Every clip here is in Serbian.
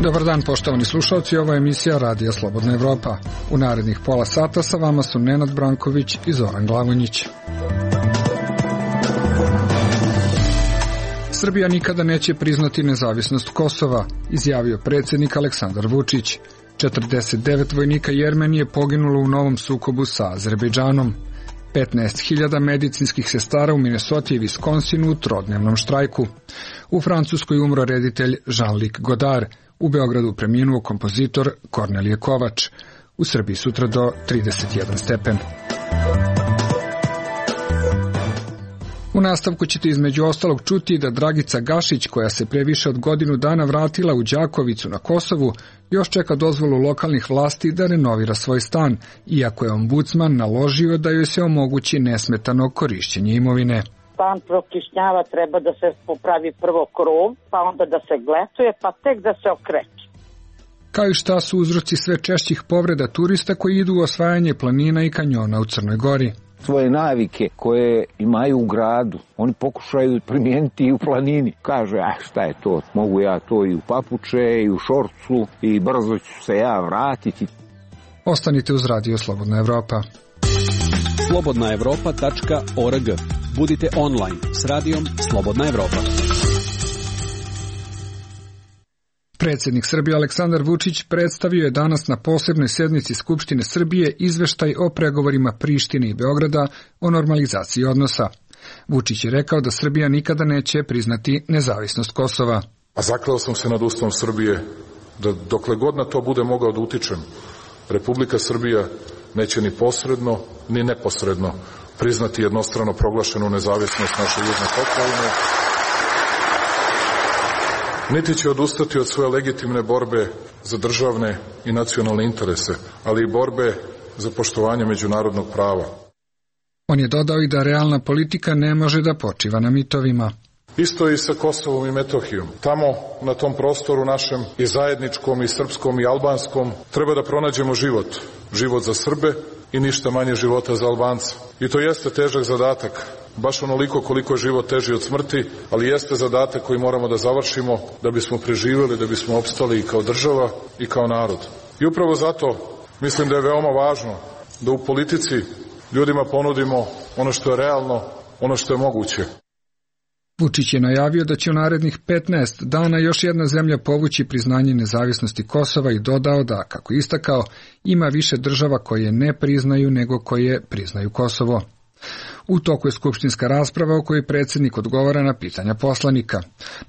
Dobar dan, poštovani slušalci, ovo je emisija Radija Slobodna Evropa. U narednih pola sata sa vama su Nenad Branković i Zoran Glavonjić. Srbija nikada neće priznati nezavisnost Kosova, izjavio predsjednik Aleksandar Vučić. 49 vojnika Jermenije poginulo u novom sukobu sa Azerbejdžanom. 15.000 medicinskih sestara u Minnesoti i Viskonsinu u trodnevnom štrajku. U Francuskoj umro reditelj Jean-Luc Godard. U Beogradu preminuo kompozitor Kornelije Kovač. U Srbiji sutra do 31 stepen. U nastavku ćete između ostalog čuti da Dragica Gašić, koja se pre više od godinu dana vratila u Đakovicu na Kosovu, još čeka dozvolu lokalnih vlasti da renovira svoj stan, iako je ombudsman naložio da joj se omogući nesmetano korišćenje imovine. Stan prokišnjava, treba da se popravi prvo krov, pa onda da se gletuje, pa tek da se okreće. Kao i šta su uzroci sve češćih povreda turista koji idu u osvajanje planina i kanjona u Crnoj Gori. Svoje navike koje imaju u gradu, oni pokušaju primijeniti i u planini. Kaže, šta je to, mogu ja to i u papuče, i u šorcu, i brzo ću se ja vratiti. Ostanite uz Radio Slobodna Evropa. slobodnaevropa.org. Budite online s radijom Slobodna Evropa. Predsjednik Srbije Aleksandar Vučić predstavio je danas na posebnoj sednici Skupštine Srbije izveštaj o pregovorima Prištine i Beograda o normalizaciji odnosa. Vučić je rekao da Srbija nikada neće priznati nezavisnost Kosova. A zakleo sam se nad Ustavom Srbije da dokle god na to bude mogao da utičem, Republika Srbija neće ni posredno ni neposredno priznati jednostrano proglašenu nezavisnost naše južne pokrajine, niti će odustati od svoje legitimne borbe za državne i nacionalne interese, ali i borbe za poštovanje međunarodnog prava. On je dodao i da realna politika ne može da počiva na mitovima. Isto i sa Kosovom i Metohijom. Tamo, na tom prostoru našem, i zajedničkom, i srpskom, i albanskom, treba da pronađemo život. Život za Srbe i ništa manje života za Albance. I to jeste težak zadatak, baš onoliko koliko je život teži od smrti, ali jeste zadatak koji moramo da završimo da bismo preživjeli, da bismo opstali i kao država i kao narod. I upravo zato mislim da je veoma važno da u politici ljudima ponudimo ono što je realno, ono što je moguće. Vučić je najavio da će u narednih 15 dana još jedna zemlja povući priznanje nezavisnosti Kosova i dodao da, kako istakao, ima više država koje ne priznaju nego koje priznaju Kosovo. U toku je skupštinska rasprava u kojoj predsjednik odgovara na pitanja poslanika.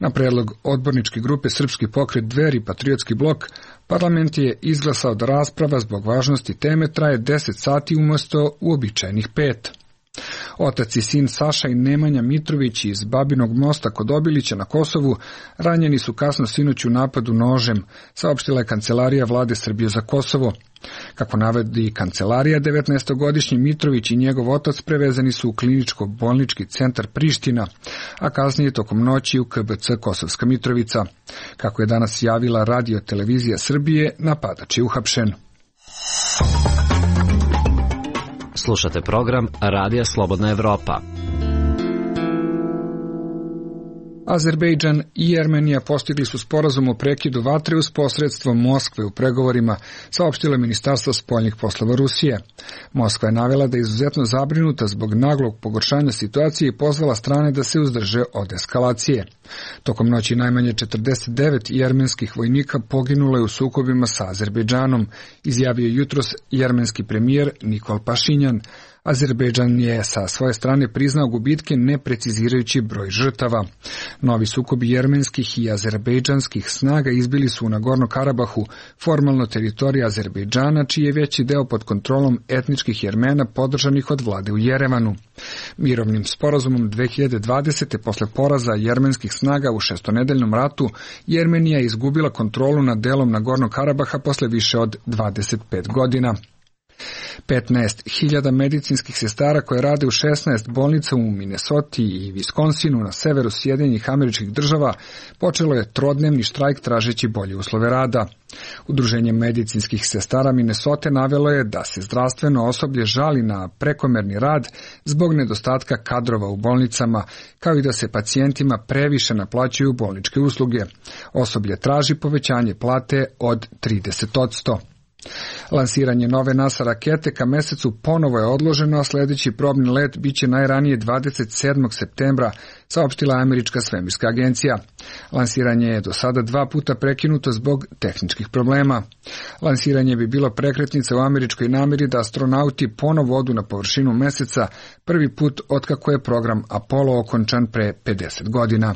Na predlog odborničke grupe Srpski pokret Dveri Patriotski blok, parlament je izglasao da rasprava zbog važnosti teme traje 10 sati umjesto uobičajenih 5. Otac i sin Saša i Nemanja Mitrović iz Babinog mosta kod Obilića na Kosovu ranjeni su kasno sinoć u napadu nožem, saopštila je Kancelarija Vlade Srbije za Kosovo. Kako navodi kancelarija, 19-godišnji Mitrović i njegov otac prevezani su u kliničko-bolnički centar Priština, a kasnije tokom noći u KBC Kosovska Mitrovica. Kako je danas javila Radio televizija Srbije, napadač je uhapšen. Slušate program Radija Slobodna Evropa. Azerbejdžan i Jermenija postigli su sporazum o prekidu vatre uz posredstvo Moskve u pregovorima, saopštilo je Ministarstvo spoljnih poslova Rusije. Moskva je navela da je izuzetno zabrinuta zbog naglog pogoršanja situacije i pozvala strane da se uzdrže od eskalacije. Tokom noći najmanje 49 jermenskih vojnika poginulo je u sukobima sa Azerbejdžanom, izjavio jutros jermenski premijer Nikol Pašinjan. Azerbejdžan je sa svoje strane priznao gubitke ne precizirajući broj žrtava. Novi sukobi jermenskih i azerbejdžanskih snaga izbili su u Nagorno Karabahu, formalno teritorija Azerbejdžana, čiji je veći deo pod kontrolom etničkih Jermena podržanih od vlade u Jerevanu. Mirovnim sporazumom 2020. posle poraza jermenskih snaga u šestonedeljnom ratu, Jermenija je izgubila kontrolu nad delom Nagorno Karabaha posle više od 25 godina. 15.000 medicinskih sestara koje rade u 16 bolnica u Minnesoti i Wisconsinu na severu Sjedinjenih Američkih Država počelo je trodnevni štrajk tražeći bolje uslove rada. Udruženje medicinskih sestara Minnesote navelo je da se zdravstveno osoblje žali na prekomerni rad zbog nedostatka kadrova u bolnicama, kao i da se pacijentima previše naplaćuju bolničke usluge. Osoblje traži povećanje plate od 30%. Lansiranje nove NASA rakete ka mesecu ponovo je odloženo, a sljedeći probni let biće najranije 27. septembra, saopštila Američka svemirska agencija. Lansiranje je do sada 2 puta prekinuto zbog tehničkih problema. Lansiranje bi bilo prekretnica u američkoj namjeri da astronauti ponovo odu na površinu meseca, prvi put otkako je program Apollo okončan pre 50 godina.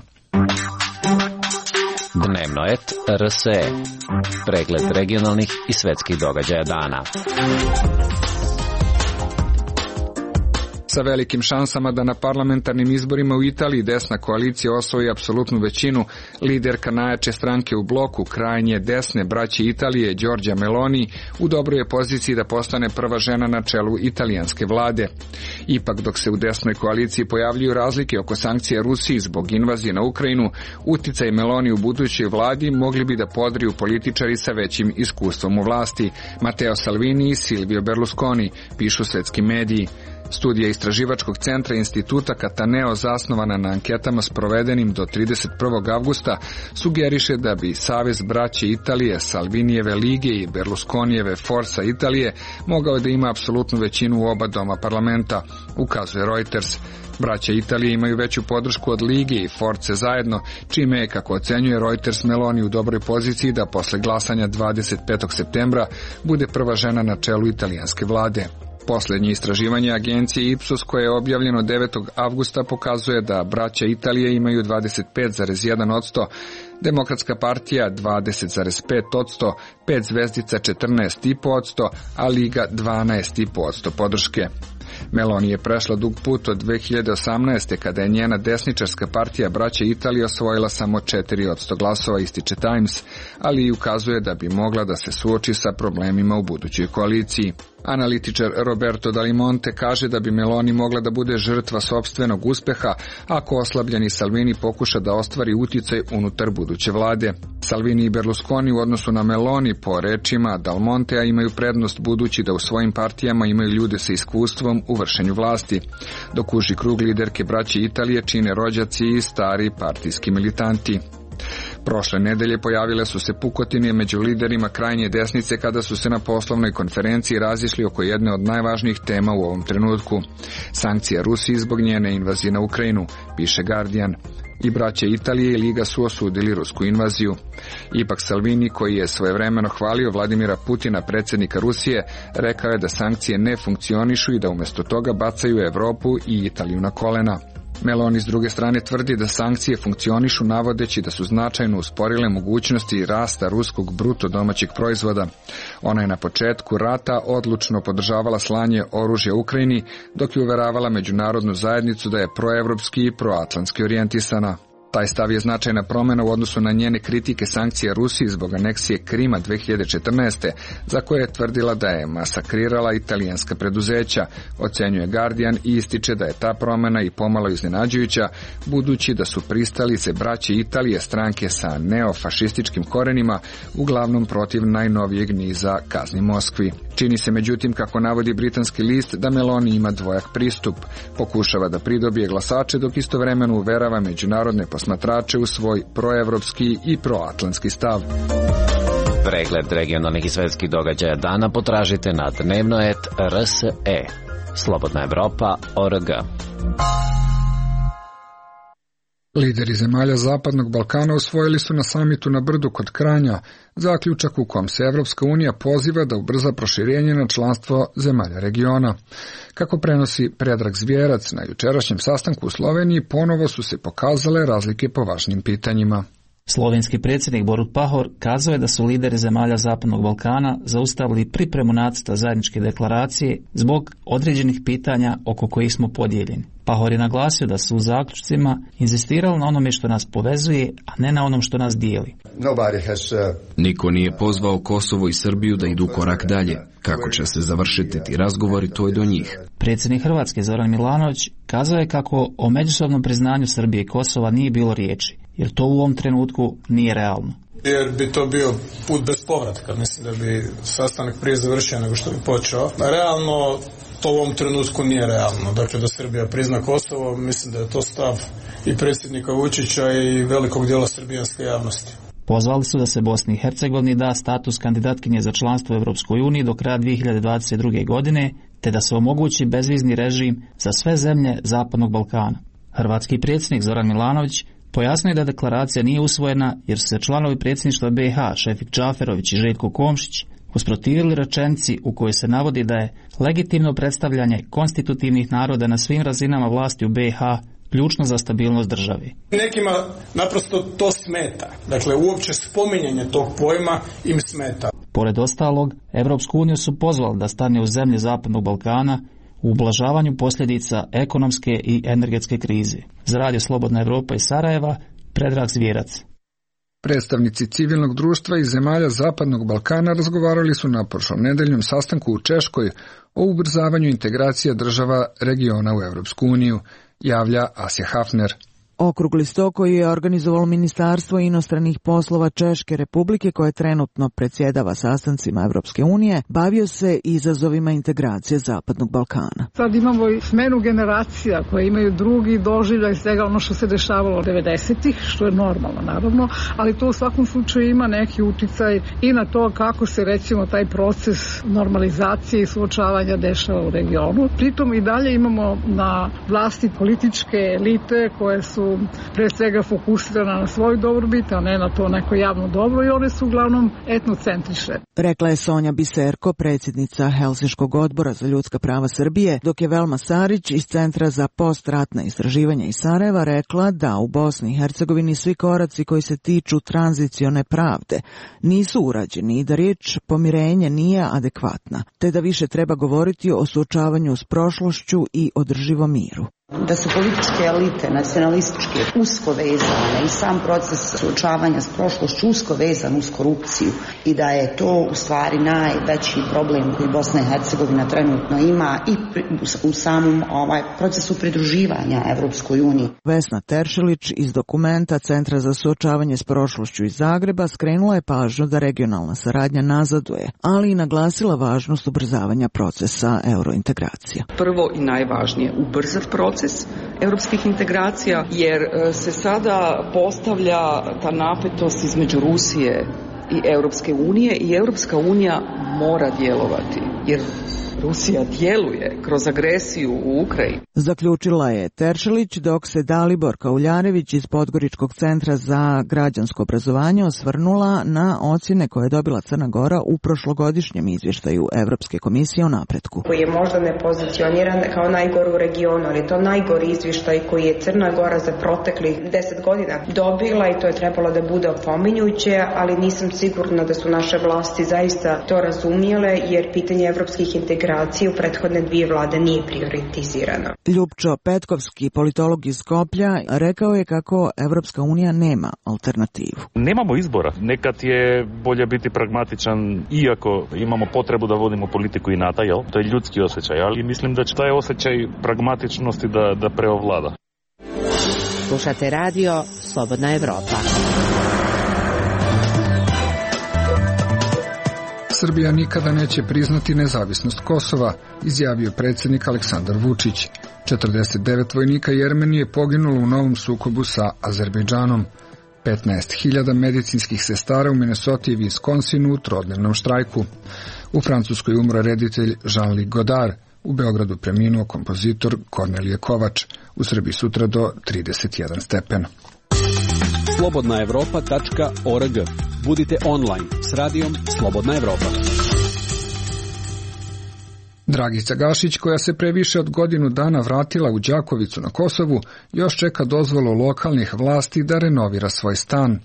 Dnevno et RSE. Pregled regionalnih i svetskih događaja dana. Sa velikim šansama da na parlamentarnim izborima u Italiji desna koalicija osvoji apsolutnu većinu, liderka najjače stranke u bloku, krajnje desne braće Italije, Giorgia Meloni, u dobroj je poziciji da postane prva žena na čelu italijanske vlade. Ipak, dok se u desnoj koaliciji pojavljuju razlike oko sankcija Rusiji zbog invazije na Ukrajinu, uticaj Meloni u budućoj vladi mogli bi da podriju političari sa većim iskustvom u vlasti, Matteo Salvini i Silvio Berlusconi, pišu svetski mediji. Studija istraživačkog centra instituta Cataneo, zasnovana na anketama sprovedenim do 31. avgusta, sugeriše da bi Savez braće Italije, Salvinijeve lige i Berlusconijeve Forza Italije mogao da ima apsolutnu većinu u oba doma parlamenta, ukazuje Reuters. Braća Italije imaju veću podršku od Lige i Force zajedno, čime je, kako ocenjuje Reuters, Meloni u dobroj poziciji da posle glasanja 25. septembra bude prva žena na čelu italijanske vlade. Posljednje istraživanje agencije Ipsos, koje je objavljeno 9. avgusta, pokazuje da braća Italije imaju 25,1%, Demokratska partija 20,5%, 5 zvezdica 14,5%, a Liga 12,5% podrške. Meloni je prešla dug put od 2018. kada je njena desničarska partija braće Italije osvojila samo 4% glasova, ističe Times, ali i ukazuje da bi mogla da se suoči sa problemima u budućoj koaliciji. Analitičar Roberto Dalimonte kaže da bi Meloni mogla da bude žrtva sopstvenog uspeha ako oslabljeni Salvini pokuša da ostvari uticaj unutar buduće vlade. Salvini i Berlusconi u odnosu na Meloni, po rečima Dalmontea, imaju prednost budući da u svojim partijama imaju ljude sa iskustvom u vršenju vlasti, dok uži krug liderke braće Italije čine rođaci i stari partijski militanti. Prošle nedelje pojavile su se pukotine među liderima krajnje desnice kada su se na poslovnoj konferenciji razišli oko jedne od najvažnijih tema u ovom trenutku. Sankcija Rusiji zbog njene invazije na Ukrajinu, piše Guardian. I braće Italije i Liga su osudili rusku invaziju. Ipak Salvini, koji je svojevremeno hvalio Vladimira Putina, predsjednika Rusije, rekao je da sankcije ne funkcionišu i da umjesto toga bacaju Evropu i Italiju na kolena. Meloni s druge strane tvrdi da sankcije funkcionišu, navodeći da su značajno usporile mogućnosti rasta ruskog bruto domaćeg proizvoda. Ona je na početku rata odlučno podržavala slanje oružja Ukrajini, dok je uveravala međunarodnu zajednicu da je proevropski i proatlantski orijentisana. Taj stav je značajna promjena u odnosu na njene kritike sankcija Rusiji zbog aneksije Krima 2014. za koje je tvrdila da je masakrirala italijanska preduzeća, ocenjuje Guardian i ističe da je ta promjena i pomalo iznenađujuća, budući da su pristalice braće Italije, stranke sa neofašističkim korenima, uglavnom protiv najnovijeg niza kazni Moskvi. Čini se međutim, kako navodi britanski list, da Meloni ima dvojak pristup. Pokušava da pridobije glasače, dok istovremeno uverava međunarodne posmatrače u svoj proevropski i proatlantski stav. Pregled regionalnih i svetskih događaja dana potražite na dnevnoet.rse. Slobodna Evropa.org. Lideri zemalja Zapadnog Balkana usvojili su na samitu na Brdu kod Kranja zaključak u kom se Evropska unija poziva da ubrza proširenje na članstvo zemalja regiona. Kako prenosi Predrag Zvjerac, na jučerašnjem sastanku u Sloveniji ponovo su se pokazale razlike po važnim pitanjima. Slovenski predsjednik Borut Pahor kazao je da su lideri zemalja Zapadnog Balkana zaustavili pripremu nacrta zajedničke deklaracije zbog određenih pitanja oko kojih smo podijeljeni. Pahor je naglasio da su u zaključcima inzistirali na onome što nas povezuje, a ne na onom što nas dijeli. Niko nije pozvao Kosovo i Srbiju da idu korak dalje. Kako će se završiti ti razgovori, to je do njih. Predsjednik Hrvatske Zoran Milanović kazao je kako o međusobnom priznanju Srbije i Kosova nije bilo riječi, jer to u ovom trenutku nije realno. Jer bi to bio put bez povratka. Mislim da bi sastanak prije završio nego što bi počeo. Realno to u ovom trenutku nije realno. Dakle, da Srbija prizna Kosovo, mislim da je to stav i predsjednika Vučića i velikog dijela srbijanske javnosti. Pozvali su da se Bosni i Hercegovini da status kandidatkinje za članstvo u Europskoj uniji do kraja 2022. godine, te da se omogući bezvizni režim za sve zemlje Zapadnog Balkana. Hrvatski predsjednik Zoran Milanović pojasnio je da deklaracija nije usvojena jer su se članovi predsjedništva BiH Šefik Džaferović i Željko Komšić usprotivili rečenici u kojoj se navodi da je legitimno predstavljanje konstitutivnih naroda na svim razinama vlasti u BiH ključno za stabilnost države. Nekima naprosto to smeta. Dakle, uopće spominjanje tog pojma im smeta. Pored ostalog, Evropsku uniju su pozvali da stane u zemlje Zapadnog Balkana u ublažavanju posljedica ekonomske i energetske krize. Za Radio Slobodna Evropa iz Sarajeva, Predrag Zvjerac. Predstavnici civilnog društva iz zemalja Zapadnog Balkana razgovarali su na prošlom nedeljnom sastanku u Češkoj o ubrzavanju integracije država regiona u Evropsku uniju, javlja Asja Hafner. Okrugli sto koji je organizovalo Ministarstvo inostranih poslova Češke Republike, koje trenutno predsjedava sastancima Evropske unije, bavio se izazovima integracije Zapadnog Balkana. Sad imamo i smenu generacija koje imaju drugi doživljaj svega ono što se dešavalo 90-ih, što je normalno naravno, ali to u svakom slučaju ima neki uticaj i na to kako se recimo taj proces normalizacije i suočavanja dešava u regionu. Pritom i dalje imamo na vlasti političke elite koje su pre svega fokusirana na svoju dobrobit, a ne na to neko javno dobro, i one su uglavnom etnocentrične. Rekla je Sonja Biserko, predsjednica Helsinškog odbora za ljudska prava Srbije, dok je Velma Sarić iz Centra za postratna istraživanja iz Sarajeva rekla da u Bosni i Hercegovini svi koraci koji se tiču tranzicione pravde nisu urađeni i da riječ pomirenje nije adekvatna, te da više treba govoriti o suočavanju s prošlošću i održivom miru. Da su političke elite, nacionalističke, usko vezane i sam proces suočavanja s prošlošću usko vezan uz korupciju i da je to u stvari najveći problem koji Bosna i Hercegovina trenutno ima i u samom procesu pridruživanja Evropskoj uniji. Vesna Teršelić iz dokumenta Centra za suočavanje s prošlošću iz Zagreba skrenula je pažnju da regionalna saradnja nazaduje, ali i naglasila važnost ubrzavanja procesa eurointegracija. Prvo i najvažnije, ubrzati proces europskih integracija, jer se sada postavlja ta napetost između Rusije i Europske unije i Europska unija mora djelovati, jer Rusija djeluje kroz agresiju u Ukrajini. Zaključila je Teršelić, dok se Dalibor Kauljarević iz Podgoričkog centra za građansko obrazovanje osvrnula na ocjene koje je dobila Crna Gora u prošlogodišnjem izvještaju Evropske komisije o napretku. Koji je možda ne pozicioniran kao najgor u regionu, ali to najgori izvještaj koji je Crna Gora za proteklih 10 godina dobila i to je trebalo da bude opominjuće, ali nisam sigurna da su naše vlasti zaista to razumjele, jer pitanje evropskih integracija u prethodne dvije vlade nije prioritizirano. Ljupčo Petkovski, politolog iz Skoplja, rekao je kako Evropska unija nema alternativu. Nemamo izbora. Nekad je bolje biti pragmatičan, iako imamo potrebu da vodimo politiku inata, jel? To je ljudski osjećaj, ali mislim da će taj osjećaj pragmatičnosti da preovlada. Slušate radio Slobodna Evropa. Srbija nikada neće priznati nezavisnost Kosova, izjavio predsjednik Aleksandar Vučić. 49 vojnika Jermenije poginulo u novom sukobu sa Azerbejdžanom. 15.000 medicinskih sestara u Minnesoti i Wisconsinu u trodnevnom štrajku. U Francuskoj umro reditelj Jean-Luc Godard. U Beogradu preminuo kompozitor Kornelije Kovač. U Srbiji sutra do 31 stepen. slobodnaevropa.org. Budite online s radijom Slobodna Evropa. Dragica Gašić, koja se pre više od godinu dana vratila u Đakovicu na Kosovu, još čeka dozvolu lokalnih vlasti da renovira svoj stan.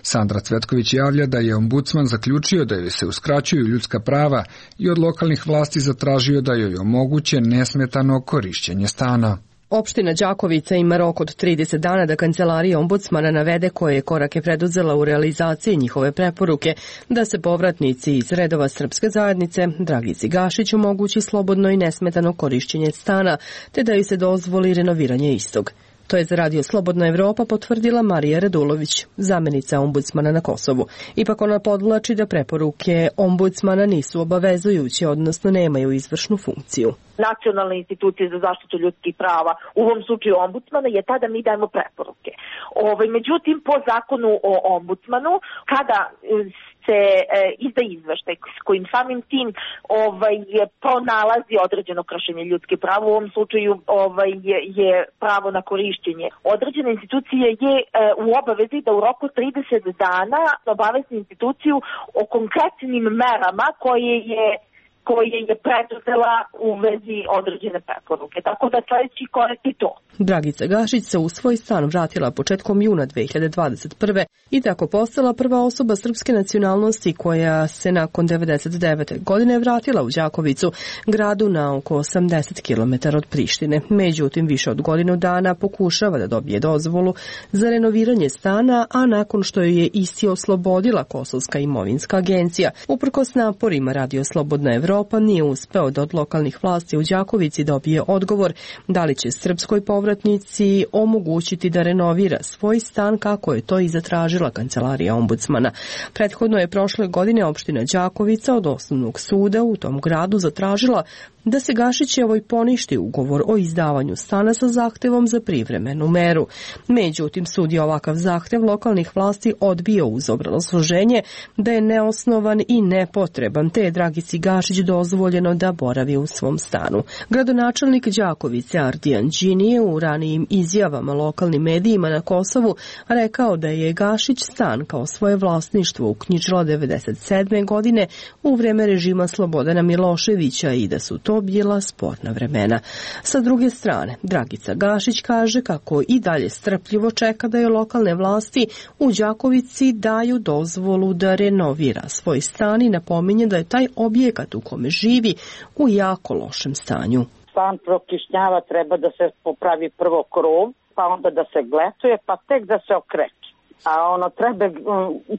Sandra Cvetković javlja da je ombudsman zaključio da joj se uskraćuju ljudska prava i od lokalnih vlasti zatražio da joj omoguće nesmetano korišćenje stana. Opština Đakovica ima rok od 30 dana da kancelarija ombudsmana navede koje je korake preduzela u realizaciji njihove preporuke da se povratnici iz redova srpske zajednice Dragici Gašić omogući slobodno i nesmetano korišćenje stana, te da joj se dozvoli renoviranje istog. To je za Radio Slobodna Evropa potvrdila Marija Radulović, zamenica ombudsmana na Kosovu. Ipak ona podvlači da preporuke ombudsmana nisu obavezujuće, odnosno nemaju izvršnu funkciju. Nacionalne institucije za zaštitu ljudskih prava, u ovom slučaju ombudsmana, je tada mi dajemo preporuke. Međutim, po zakonu o ombudsmanu, kada se izda izveštaj s kojim samim tim pronalazi određeno kršenje ljudskih prava, u ovom slučaju je pravo na korišćenje. Određena institucija je u obavezi da u roku 30 dana obavesti instituciju o konkretnim merama koje je preduzela u vezi određene preporuke. Tako da sledeći korak je to. Dragica Gašić se u svoj stan vratila početkom juna 2021. i tako postala prva osoba srpske nacionalnosti koja se nakon 1999. godine vratila u Đakovicu, gradu na oko 80 km od Prištine. Međutim, više od godinu dana pokušava da dobije dozvolu za renoviranje stana, a nakon što je isti oslobodila Kosovska imovinska agencija. Uprkos naporima Radio Slobodna Evropa nije uspeo da od lokalnih vlasti u Đakovici dobije odgovor da li će srpskoj povratnici omogućiti da renovira svoj stan kako je to i zatražila kancelarija ombudsmana. Prethodno je prošle godine opština Đakovica od osnovnog suda u tom gradu zatražila da se Gašićevoj poništi ugovor o izdavanju stana sa zahtevom za privremenu meru. Međutim, sud je ovakav zahtev lokalnih vlasti odbio uz obrazloženje da je neosnovan i nepotreban, te je Dragici Gašić dozvoljeno da boravi u svom stanu. Gradonačelnik Đakovice Ardijan Đini je u ranijim izjavama lokalnim medijima na Kosovu rekao da je Gašić stan kao svoje vlasništvo uknjižila 1997. godine u vreme režima Slobodana Miloševića i da su to bila sporna vremena. Sa druge strane, Dragica Gašić kaže kako i dalje strpljivo čeka da je lokalne vlasti u Đakovici daju dozvolu da renovira svoj stan i napominje da je taj objekat u kome živi u jako lošem stanju. Stan prokišnjava, treba da se popravi prvo krov, pa onda da se gletuje, pa tek da se okreće. A treba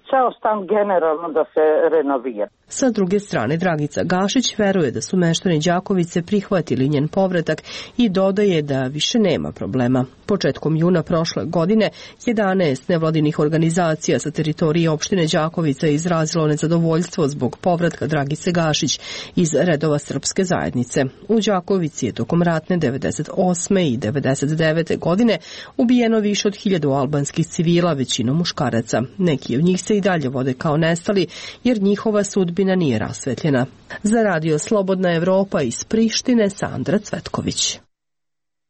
ceo stan generalno da se renovira. Sa druge strane, Dragica Gašić veruje da su meštani Đakovice prihvatili njen povratak i dodaje da više nema problema. Početkom juna prošle godine 11 nevladinih organizacija sa teritorije opštine Đakovica je izrazilo nezadovoljstvo zbog povratka Dragice Gašić iz redova srpske zajednice. U Đakovici je tokom ratne 98. i 99. godine ubijeno više od 1000 albanskih civila, većinom muškaraca. Neki od njih se i dalje vode kao nestali jer njihova sudbina nije rasvetljena. Za Radio Slobodna Evropa iz Prištine, Sandra Cvetković.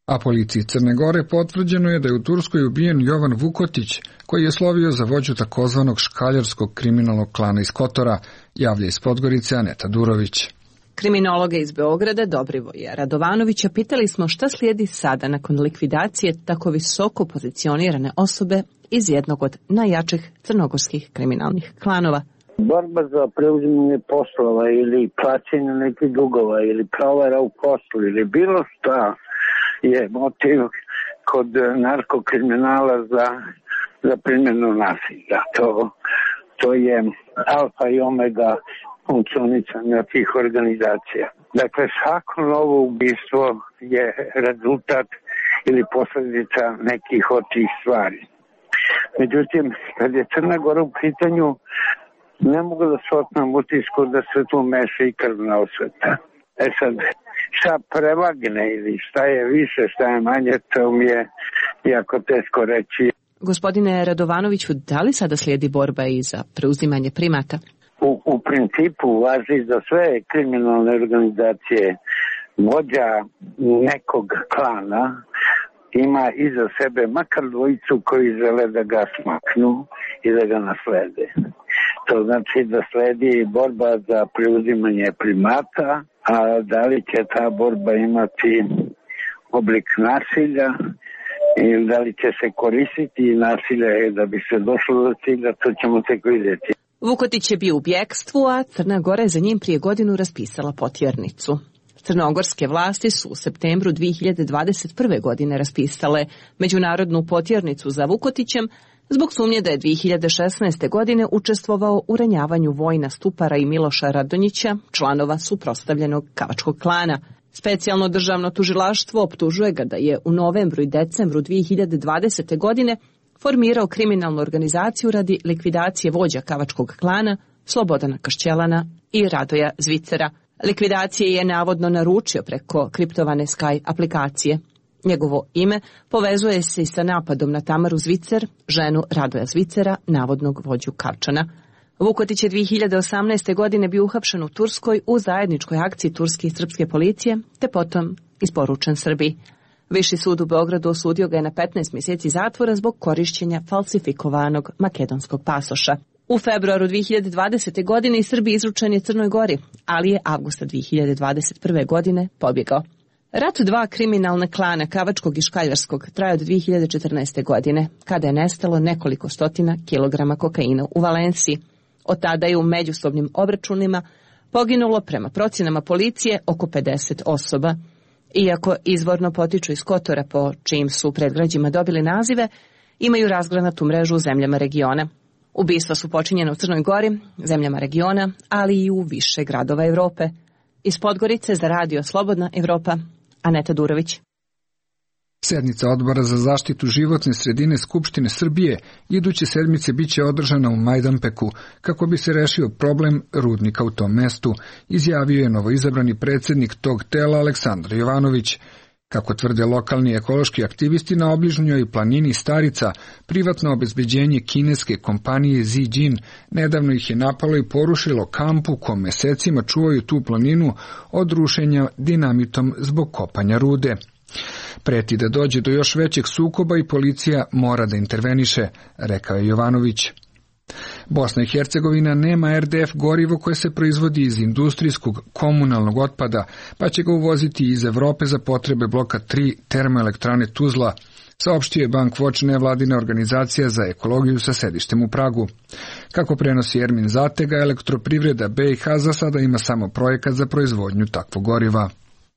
A policiji Crne Gore potvrđeno je da je u Turskoj ubijen Jovan Vukotić, koji je slovio za vođu takozvanog škaljarskog kriminalnog klana iz Kotora, javlja iz Podgorice Aneta Durović. Kriminologa iz Beograda Dobrivoja Radovanovića pitali smo šta slijedi sada nakon likvidacije tako visoko pozicionirane osobe iz jednog od najjačih crnogorskih kriminalnih klanova. Borba za preuzimanje poslova ili plaćanje nekih dugova ili provera u poslu ili bilo šta je motiv kod narkokriminala za primjenu nasilja. To je alfa i omega funkcionisanja tih organizacija. Dakle, svako novo ubistvo je rezultat ili posljedica nekih od tih stvari. Međutim, kad je Crna Gora u pitanju, ne mogu da se otmem utisku da se tu meša i krvna osveta. Sad, šta prevagne ili šta je više, šta je manje, to mi je jako teško reći. Gospodine Radovanoviću, da li sada slijedi borba i za preuzimanje primata? U principu važi za sve kriminalne organizacije. Vođa nekog klana ima iza sebe makar dvojicu koji žele da ga smaknu i da ga naslede. To znači da sledi borba za preuzimanje primata a da li će ta borba imati oblik nasilja ili da li će se koristiti nasilje da bi se došlo do cilja, to ćemo tek vidjeti. Vukotić je bio u bjekstvu, a Crna Gora je za njim prije godinu raspisala potjernicu. Crnogorske vlasti su u septembru 2021. godine raspisale međunarodnu potjernicu za Vukotićem zbog sumnje da je 2016. godine učestvovao u ranjavanju Vojina Stupara i Miloša Radonjića, članova suprotstavljenog Kavačkog klana. Specijalno državno tužilaštvo optužuje ga da je u novembru i decembru 2020. godine formirao kriminalnu organizaciju radi likvidacije vođa Kavačkog klana Slobodana Kašćelana i Radoja Zvicera. Likvidacije je navodno naručio preko kriptovane Sky aplikacije. Njegovo ime povezuje se i sa napadom na Tamaru Zvicer, ženu Radoja Zvicera, navodnog vođu Kavčana. Vukotić je 2018. godine bio uhapšen u Turskoj u zajedničkoj akciji turske i srpske policije, te potom isporučen Srbiji. Viši sud u Beogradu osudio ga je na 15 mjeseci zatvora zbog korišćenja falsifikovanog makedonskog pasoša. U februaru 2020. godine iz Srbije izručen je Crnoj Gori, ali je avgusta 2021. godine pobjegao. Rat dva kriminalne klana Kavačkog i Škaljarskog traje od 2014. godine, kada je nestalo nekoliko stotina kilograma kokaina u Valenciji. Od tada je u međusobnim obračunima poginulo prema procjenama policije oko 50 osoba. Iako izvorno potiču iz Kotora po čijim su predgrađima dobili nazive, imaju razgranatu mrežu u zemljama regiona. Ubistva su počinjena u Crnoj Gori, zemljama regiona, ali i u više gradova Evrope. Iz Podgorice za radio Slobodna Evropa, Aneta Durović. Sednica Odbora za zaštitu životne sredine Skupštine Srbije iduće sedmice biće održana u Majdanpeku kako bi se rešio problem rudnika u tom mestu, izjavio je novoizabrani predsjednik tog tela Aleksandar Jovanović. Kako tvrde lokalni ekološki aktivisti, na obližnjoj planini Starica privatno obezbeđenje kineske kompanije Zijin nedavno ih je napalo i porušilo kamp u kom mesecima čuvaju tu planinu od rušenja dinamitom zbog kopanja rude. Preti da dođe do još većeg sukoba i policija mora da interveniše, rekao je Jovanović. Bosna i Hercegovina nema RDF gorivo koje se proizvodi iz industrijskog komunalnog otpada, pa će ga uvoziti iz Evrope za potrebe bloka 3 termoelektrane Tuzla, saopštio je Bankwatch, nevladina organizacija za ekologiju sa sedištem u Pragu. Kako prenosi Ermin Zatega, Elektroprivreda BiH za sada ima samo projekat za proizvodnju takvog goriva.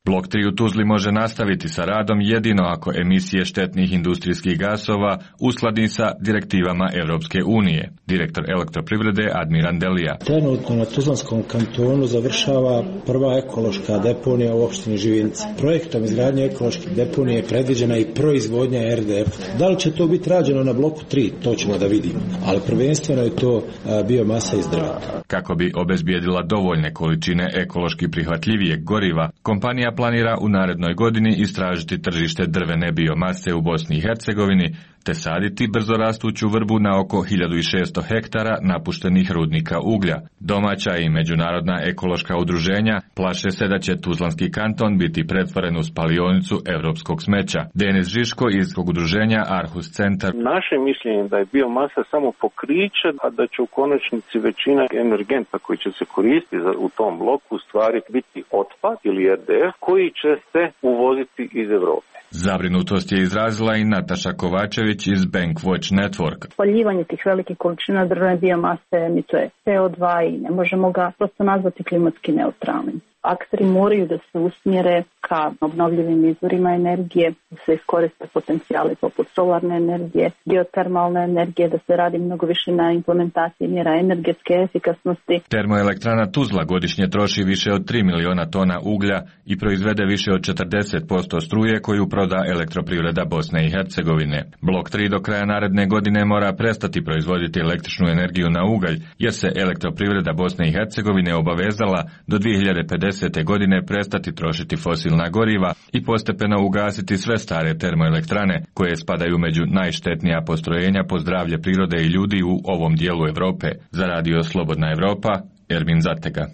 Blok 3 u Tuzli može nastaviti sa radom jedino ako emisije štetnih industrijskih gasova uskladi sa direktivama Europske unije. Direktor Elektroprivrede Admiran Delija. Trenutno na Tuzlanskom kantonu završava prva ekološka deponija u opštini Živinci. Projektom izgradnje ekološke deponije je predviđena i proizvodnja RDF. Da li će to biti rađeno na bloku 3, to ćemo da vidimo, ali prvenstveno je to biomasa iz drveta. Kako bi obezbijedila dovoljne količine ekološki prihvatljivijeg goriva, kompanija planira u narednoj godini istražiti tržište drvene biomase u Bosni i Hercegovini, te saditi brzorastuću vrbu na oko 1600 hektara napuštenih rudnika uglja. Domaća i međunarodna ekološka udruženja plaše se da će Tuzlanski kanton biti pretvoren u spalionicu evropskog smeća. Denis Žiško iz udruženja Arhus Centar. Naše mišljenje da je biomasa samo pokriće, a da će u konačnici većina energenta koji će se koristiti u tom bloku u stvari biti otpad ili RDF koji će se uvoziti iz Evrope. Zabrinutost je izrazila i Nataša Kovačević iz Bankwatch Network. Spaljivanje tih velikih količina drvene biomase emituje CO2 i ne možemo ga prosto nazvati klimatski neutralnim. Akteri moraju da se usmjere ka obnovljivim izvorima energije, da se iskoriste potencijali poput solarne energije, geotermalne energije, da se radi mnogo više na implementaciji mjera energetske efikasnosti. Termoelektrana Tuzla godišnje troši više od 3 miliona tona uglja i proizvede više od 40% struje koju proda Elektroprivreda Bosne i Hercegovine. Blok 3 do kraja naredne godine mora prestati proizvoditi električnu energiju na ugalj, jer se Elektroprivreda Bosne i Hercegovine obavezala do 2050. godine prestati trošiti fosilna goriva i postepeno ugasiti sve stare termoelektrane koje spadaju među najštetnija postrojenja po zdravlje prirode i ljudi u ovom dijelu Europe. Za radio Slobodna Evropa, Ermin Zatega.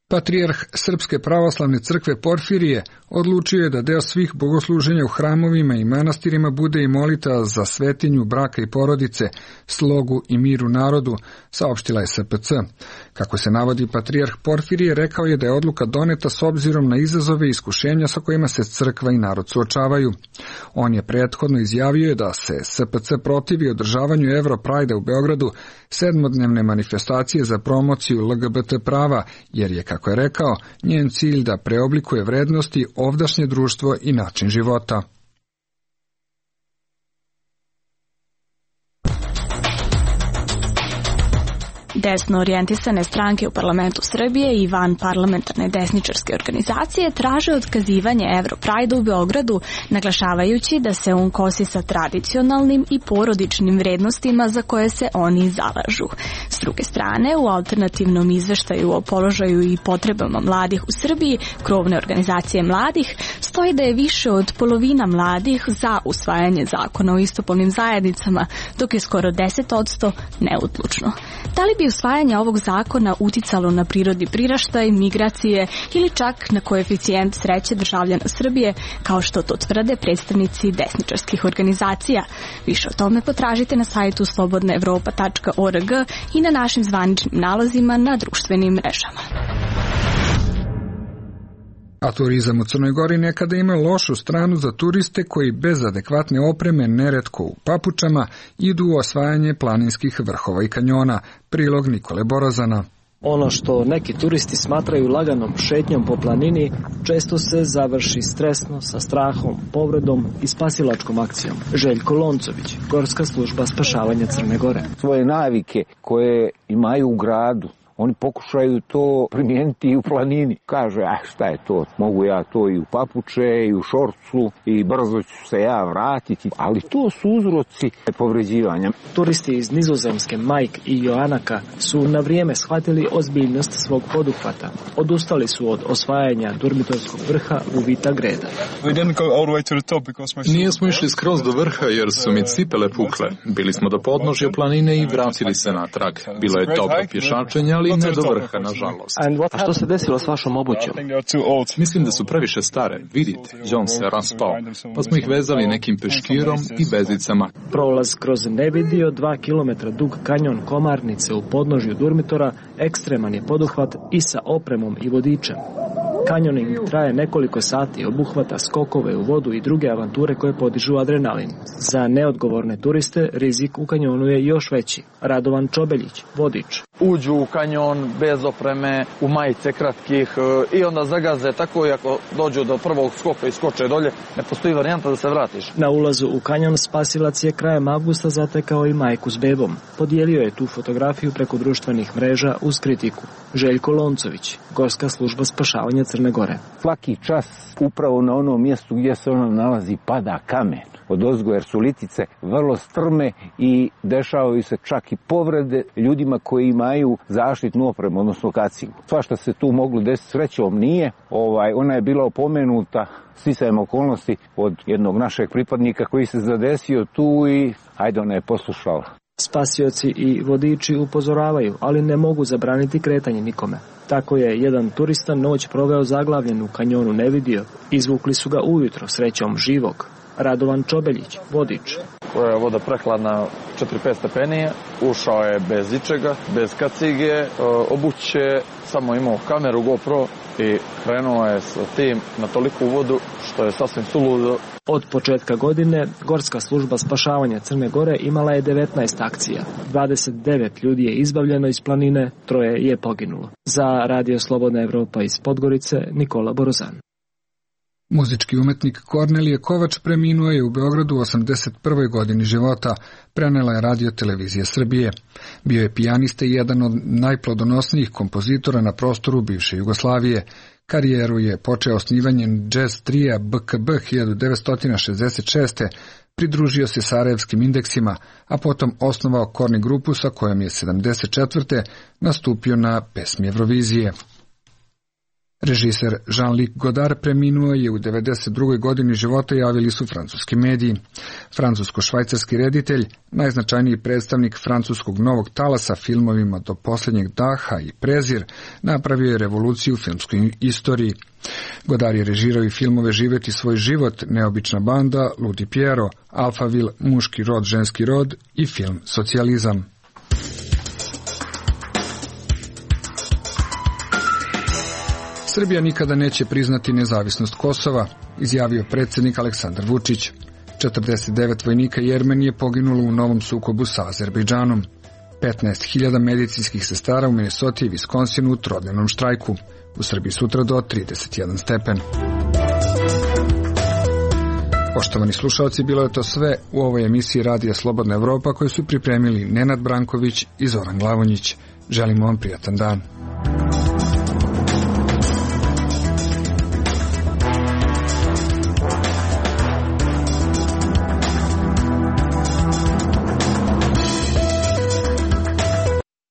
Patrijarh Srpske pravoslavne crkve Porfirije odlučio je da deo svih bogosluženja u hramovima i manastirima bude i molitva za svetinju braka i porodice, slogu i miru narodu, saopštila je SPC. Kako se navodi, patrijarh Porfirije rekao je da je odluka doneta s obzirom na izazove i iskušenja sa kojima se crkva i narod suočavaju. On je prethodno izjavio da se SPC protivi održavanju Europrajda u Beogradu, 7-dnevne manifestacije za promociju LGBT prava, jer je, kako je rekao, njen cilj da preoblikuje vrednosti ovdašnje društvo i način života. Desno orijentisane stranke u parlamentu Srbije i van parlamentarne desničarske organizacije traže otkazivanje Europrajda u Beogradu, naglašavajući da se on kosi sa tradicionalnim i porodičnim vrednostima za koje se oni zalažu. S druge strane, u alternativnom izveštaju o položaju i potrebama mladih u Srbiji, krovne organizacije mladih, stoji da je više od polovina mladih za usvajanje zakona o istopolnim zajednicama, dok je skoro 10% neodlučno. Da li bi usvajanje ovog zakona uticalo na prirodni priraštaj, migracije ili čak na koeficijent sreće državljana Srbije, kao što to tvrde predstavnici desničarskih organizacija? Više o tome potražite na sajtu slobodnaevropa.org i na našim zvaničnim nalazima na društvenim mrežama. A turizam u Crnoj Gori nekada ima lošu stranu za turiste koji bez adekvatne opreme, neretko u papučama, idu u osvajanje planinskih vrhova i kanjona. Prilog Nikole Borozana. Ono što neki turisti smatraju laganom šetnjom po planini, često se završi stresno, sa strahom, povredom i spasilačkom akcijom. Željko Loncović, Gorska služba spašavanja Crne Gore. Svoje navike koje imaju u gradu, oni pokušaju to primijeniti i u planini. Kaže, šta je to, mogu ja to i u papuče, i u šorcu, i brzo ću se ja vratiti. Ali to su uzroci povređivanja. Turisti iz Nizozemske, Mike i Joanaka, su na vrijeme shvatili ozbiljnost svog poduhvata. Odustali su od osvajanja dormitorskog vrha u Vita Greda. Nijesmo išli skroz do vrha jer su mi cipele pukle. Bili smo do podnožja planine i vratili se natrag. Bilo je dobro pješačenja, ali ne do vrha, nažalost. A što se desilo s vašom obućom? Mislim da su previše stare. Vidite, John se raspao, pa smo ih vezali nekim peškirom i vezicama. Prolaz kroz nevidio 2 km dug kanjon Komarnice u podnožju Durmitora ekstreman je poduhvat i sa opremom i vodičem. Kanjoning traje nekoliko sati, obuhvata skokove u vodu i druge avanture koje podižu adrenalin. Za neodgovorne turiste rizik u kanjonu je još veći. Radovan Čobeljić, vodič. Uđu u kanjon bez opreme, u majice kratkih i onda zagaze tako i ako dođu do prvog skoka i skoče dolje, ne postoji varijanta da se vratiš. Na ulazu u kanjon spasilac je krajem avgusta zatekao i majku s bebom. Podijelio je tu fotografiju preko društvenih mreža uz kritiku. Željko Loncović, Gorska služba spašavanja Crne Gore. Svaki čas upravo na onom mjestu gdje se ona nalazi pada kamen odozgo, jer su litice vrlo strme i dešavaju se čak i povrede ljudima koji imaju zaštitnu opremu, odnosno kacigu. Svašta se tu moglo desiti, srećom nije. Ona je bila opomenuta sticajem okolnosti od jednog našeg pripadnika koji se zadesio tu i ona je poslušala. Spasioci i vodiči upozoravaju, ali ne mogu zabraniti kretanje nikome. Tako je jedan turista noć proveo zaglavljen u kanjonu Nevidio. Izvukli su ga ujutro, srećom živog. Radovan Čobeljić, vodič. Koja je voda prehladna 4-5 stepeni, ušao je bez ičega, bez kacige, obuće, samo imao kameru GoPro i krenuo je sa tim na toliku vodu što je sasvim suludo. Od početka godine Gorska služba spašavanja Crne Gore imala je 19 akcija. 29 ljudi je izbavljeno iz planine, 3 je poginulo. Za Radio Slobodna Evropa iz Podgorice, Nikola Borozan. Muzički umetnik Kornelije Kovač preminuo je u Beogradu u 81. godini života, prenela je Radio Televizija Srbije. Bio je pijanista i jedan od najplodonosnijih kompozitora na prostoru bivše Jugoslavije. Karijeru je počeo osnivanjem jazz trija BKB 1966. Pridružio se sarajevskim indeksima, a potom osnovao Korni grupu sa kojom je 74. nastupio na pesmi Eurovizije. Režiser Jean-Luc Godard preminuo je u 92. godini života, javili su francuski mediji. Francusko-švajcarski reditelj, najznačajniji predstavnik francuskog novog talasa filmovima Do posljednjeg daha i Prezir, napravio je revoluciju u filmskoj istoriji. Godard je režirao i filmove Živeti svoj život, Neobična banda, Ludi Piero, Alphaville, Muški rod, ženski rod i film Socijalizam. Srbija nikada neće priznati nezavisnost Kosova, izjavio predsjednik Aleksandar Vučić. 49 vojnika Jermenije poginulo u novom sukobu sa Azerbejdžanom. 15.000 medicinskih sestara u Minnesoti i Viskonsinu u trodnevnom štrajku. U Srbiji sutra do 31 stepen. Poštovani slušalci, bilo je to sve u ovoj emisiji Radija Slobodna Evropa koju su pripremili Nenad Branković i Zoran Glavonjić. Želimo vam prijatan dan.